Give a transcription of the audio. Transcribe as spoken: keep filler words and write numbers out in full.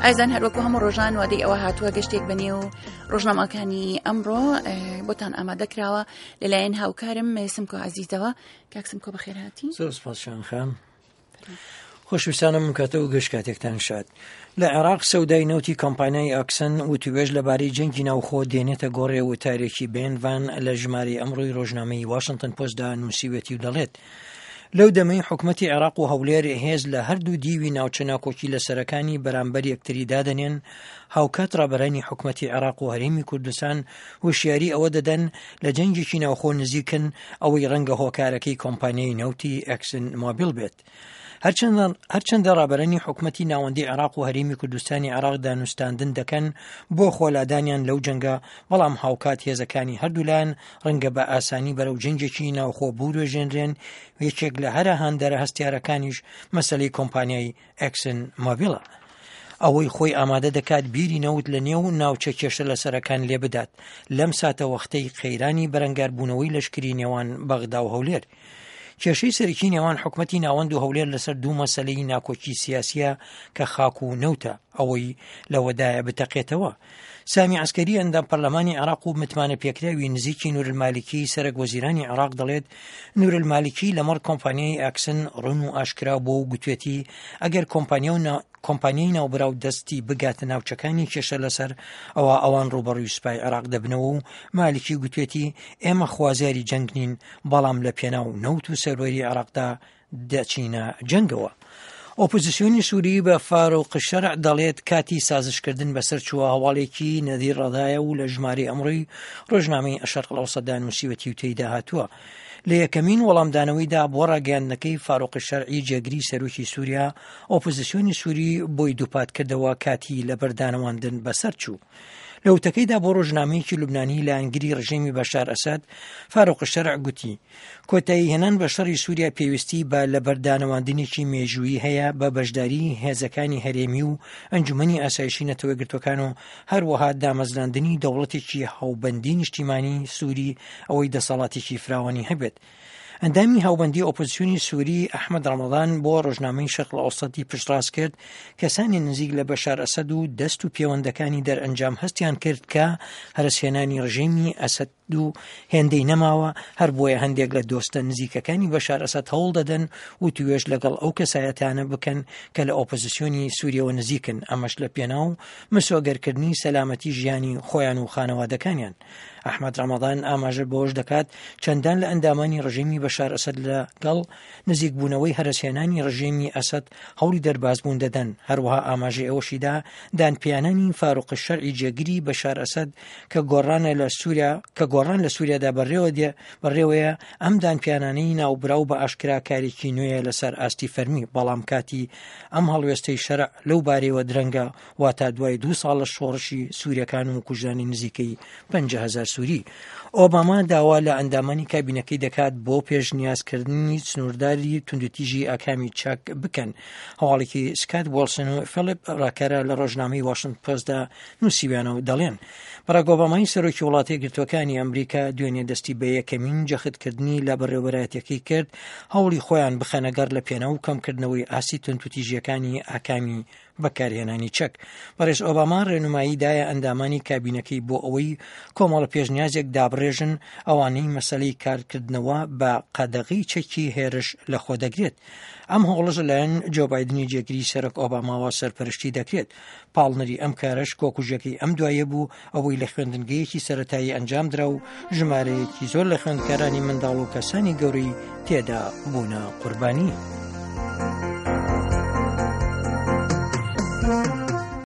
ئازیزان، هەروەکو هەموو ڕۆژان وادەی ئەوە هاتووە گەشتێک بەنێو ڕۆژنامەکانی ئەمڕۆ بۆتان ئامادە کراوە لەلایەن هاوکارم سمکۆ عەزیزەوە. کاک سمکۆ، بەخێرهاتی. زۆر سپاس شان خان. خۆشویستانم، کاتە و گەشت کاتێکتان شاد. لە عێراق سەودای نەوتی کۆمپانیای ئاکسن وتوێژ لەبارەی جەنگی ناوخۆ دێنێتە گۆڕێ. وتارێکی بێن ڤان لە ژمارەی ئەمڕۆی ڕۆژنامەی واشنگتن پۆستدا نووسیوێتی و دەڵێت، لەو دەمەی حکومەتی عێراق و هەولێر هێز لە هەردوو دیوی ناوچە ناکۆکی لەسەرەکانی بەرامبەر یەکتری دادەنێن، هاوکات ڕابەرانی حکومەتی عێراق و هەرێمی کوردستان هۆشیاری ئەوە دەدەن لە جەنگێکی ناوخۆ نزیکن، ئەوەی ڕەنگە هۆکارەکەی کۆمپانیای نەوتی ئەکسن مۆبیل بێت. هەرچەندە ڕابەرانی حکومەتی ناوەندی عێراق و هەرێمی کوردستانی عێراق دانوستاندن دەکەن بۆ خۆلادانیان لەو جەنگە، بەڵام هاوکات هێزەکانی هەردوولایەن ڕەنگە بە ئاسانی بەرەو جەنگێکی ناوخۆ بوروێژێنرێن. یەکێک لە هەرە هاندەرە هەستیارەکانیش مەسەلەی کۆمپانیای ئەکسن مۆبیلە، ئەوەی خۆی ئامادە دەکات بیری نەوت لە نێو ناوچە کێشە لەسەرەکان لێ بدات لەم ساتەوەختەی قەیرانی بەرەنگاربوونەوەی لەشکری نێوان بەغدا و هەولێر. کێشەی سەرەکی نێوان حکومەتی ناوەند و هەولێر لەسەر دوو مەسەلەی ناکۆکی سیاسیە کە خاک و نەوتە، ئەوەی لەوەدایە بتەقێتەوە. سامی عەسکەری، ئەندام پەرلەمانی عێراق و متمانە پێکراوی نزیکی نورالمالکی سەرەک وەزیرانی عێراق، دەڵێت نورالمالکی لەمەڕ کۆمپانیای ئاکسن ڕوون و ئاشکرا بۆ و گوتوێتی ئەگەر کۆمپانیا و کۆمپانیای ناوبراو دەستی بگاتە ناوچەکانی کێشە لەسەر، ئەوە ئەوان ڕوبەڕووی سوپای عێراق دەبنەوە. و مالکی گوتوێتی ئێمە خوازیاری جەنگ نین، بەڵام لە پێناو نەوت و سەروەری عێراقدا دەچینە جەنگەوە. ئۆپۆزیسیۆنی سووری بە فاروق شەرع دەڵێت کاتی سازشکردن بەسەر چووە. هەواڵێکی نەدیر ڕەدایە و لە ژمارەی ئەمڕۆی ڕۆژنامەی ئەشەرق ئەوسەتدا نووسیوەتی و تێیدا هاتووە، لە یەکەمین وەڵامدانەوەیدا بۆ ڕاگەیاندنەکەی فاروق شەرعی جێگری سەرۆکی سووریا، ئۆپۆزیسیۆنی سووری بۆی دووپات کردەوە کاتی لەبەردانەواندن بەسەر چوو. لە وتەکەیدا بۆ ڕۆژنامەیەکی لوبنانی لایەنگری ڕژێمی بەشار ئەسەد، فاروق شەرع گوتی کۆتایی هێنان بە شەڕی سووریا پێویستی بە لەبەردانەواندنێکی مێژوویی هەیە بە بەشداری هێزەکانی هەرێمی و ئەنجومەنی ئاسایشی نەتەوەیەکگرتوەکان و هەروەها دامەزراندنی دەوڵەتێکی هاوبەندی نیشتیمانی سووری، ئەوەی دەسەڵاتێکی فراوانی هەبێت. ئەندامی هاوبەندی ئۆپۆزیسیۆنی سووری ئەحمەد ڕەمەضان بۆ ڕۆژنامەی شەرق ئەوسەتی پشتڕاست کرد کەسانی نزیک لە بەشار ئەسەد و دەست و پێوەندەکانی دەرئەنجام هەستیان کرد کە هەرسهێنانی ڕژێمی ئەسەد دوو هێندەی نەماوە، هەر بۆیە هەندێک لە دۆستە نزیکەکانی بەشار ئەسەد هەوڵ دەدەن و توێژ لەگەڵ ئەو کەسایەتانە بکەن کە لە ئۆپۆزیسیۆنی سووریەوە نزیکن، ئەمەش لە پێناو مسۆگەرکردنی سەلامەتی ژیانی خۆیان و خانەوادەکانیان. ئەحمەد ڕەمەضان ئاماژە بەوەش دەکات چەندان لە ئەندامانی ڕژێمی بەشار ئەسەد لەگەڵ نزیکبوونەوەی هەرەسهێنانی ڕژێمی ئەسەد هەوڵی دەربازبوون دەدەن. هەروەها ئاماژەی ئەوەشیدا دانپیانانی فاروق شەرعی جێگری بەشار ئەسەد کە گۆڕانە لە سووریا کە گۆڕان لە سووریادا بەڕێوە دێ بەڕێوەیە، ئەم دانپیانانەی ناوبراو بە ئاشکرا کارێکی نوێیە لەسەر ئاستی فەرمی، بەڵام کاتی ئەم هەڵوێستەی شەرع لەو بارەیەوە درەنگە، واتا دوای دوو ساڵ لە شۆڕشی سووریەکان و کوژرانی نزیکەی پەنجا هەزار سووری. ئۆباما داوا لە ئەندامانی کابینەکەی دەکات بۆ پێشنیازکردنی سنوورداری توندوتیژی ئاکامی چەک بکەن. هەواڵێکی سکات وۆڵسن و فیلیپ ڕاکەرە لە ڕۆژنامەی واشنگتن پۆستدا نووسیویانە و دەڵێن باراک ئۆبامای سەرۆکی وڵاتە یەکگرتووەکانی ئەمریکا دوێنێ دەستی بە یەکەمین جەختکردنی لە بەڕێوەبەرایەتیەکەی کرد هەوڵی خۆیان بخەنە گەڕ لە پێناو کەمکردنەوەی ئاستی توندوتیژیەکانی ئاکامی بەکارهێنانی چەک. بەڕێز ئۆباما ڕێنمایی دایە ئەندامانی کابینەکەی بۆ ئەوەی کۆمەڵە پێشنیازێک دابڕێژن، ئەوانەی مەسەلەی کارکردنەوە بە قەدەغەی چەکی هێرش لەخۆ دەگرێت. ئەم هەوڵەش لەلایەن جۆ بایدنی جێگری سەرۆک ئۆباماوە سەرپەرشتی دەکرێت. پاڵنەری ئەم کارەش کۆکوژەکەی ئەم دوایە بوو، ئەوەی لە خوێندنگەیەکی سەتایی ئەنجامدرا و ژمارەیەکی زۆر لە خوێندکارانی منداڵ و کەسانی گەورەی تێدا بوونە قوربانی.